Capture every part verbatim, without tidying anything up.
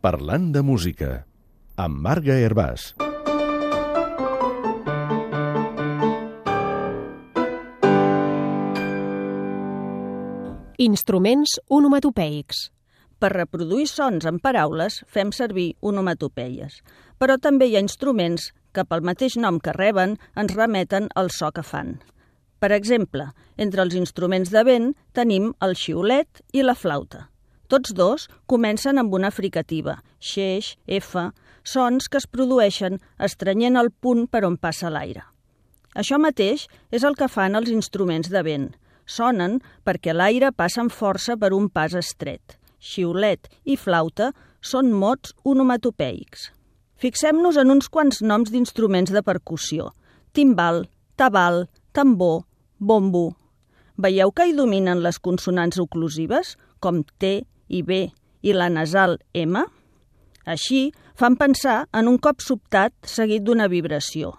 Parlant de música, amb Marga Hervàs. Instruments onomatopeics. Per reproduir sons en paraules fem servir onomatopeies, però també hi ha instruments que pel mateix nom que reben ens remeten al so que fan. Per exemple, entre els instruments de vent tenim el xiulet i la flauta. Tots dos comencen amb una fricativa, xeix, f, sons que es produeixen estrenyent el punt per on passa l'aire. Això mateix és el que fan els instruments de vent. Sonen perquè l'aire passa amb força per un pas estret. Xiulet i flauta són mots onomatopeics. Fixem-nos en uns quants noms d'instruments de percussió. Timbal, tabal, tambor, bombo. Veieu que hi dominen les consonants oclusives, com T i B, i la nasal M? Així, fan pensar en un cop sobtat seguit d'una vibració,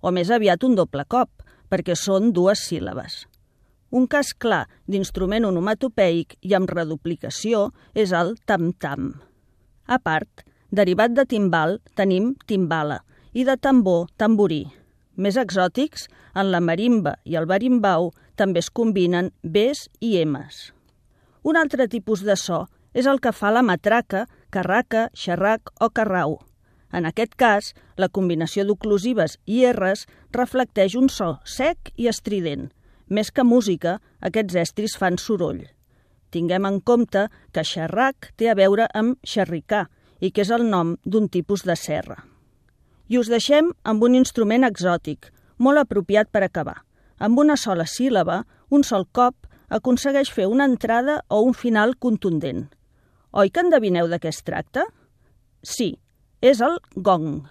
o més aviat un doble cop, perquè són dues síl·labes. Un cas clar d'instrument onomatopeic i amb reduplicació és el tam-tam. A part, derivat de timbal tenim timbala i de tambor, tamborí. Més exòtics, en la marimba i el berimbau també es combinen Bs i Ms. Un altre tipus de so és el que fa la matraca, carraca, xerrac o carrau. En aquest cas, la combinació d'oclusives i Rs reflecteix un so sec i estrident. Més que música, aquests estris fan soroll. Tinguem en compte que xerrac té a veure amb xerricà i que és el nom d'un tipus de serra. I us deixem amb un instrument exòtic, molt apropiat per acabar. Amb una sola síl·laba, un sol cop, aconsegueix fer una entrada o un final contundent. Oi que endevineu de què es tracta? Sí, és el gong.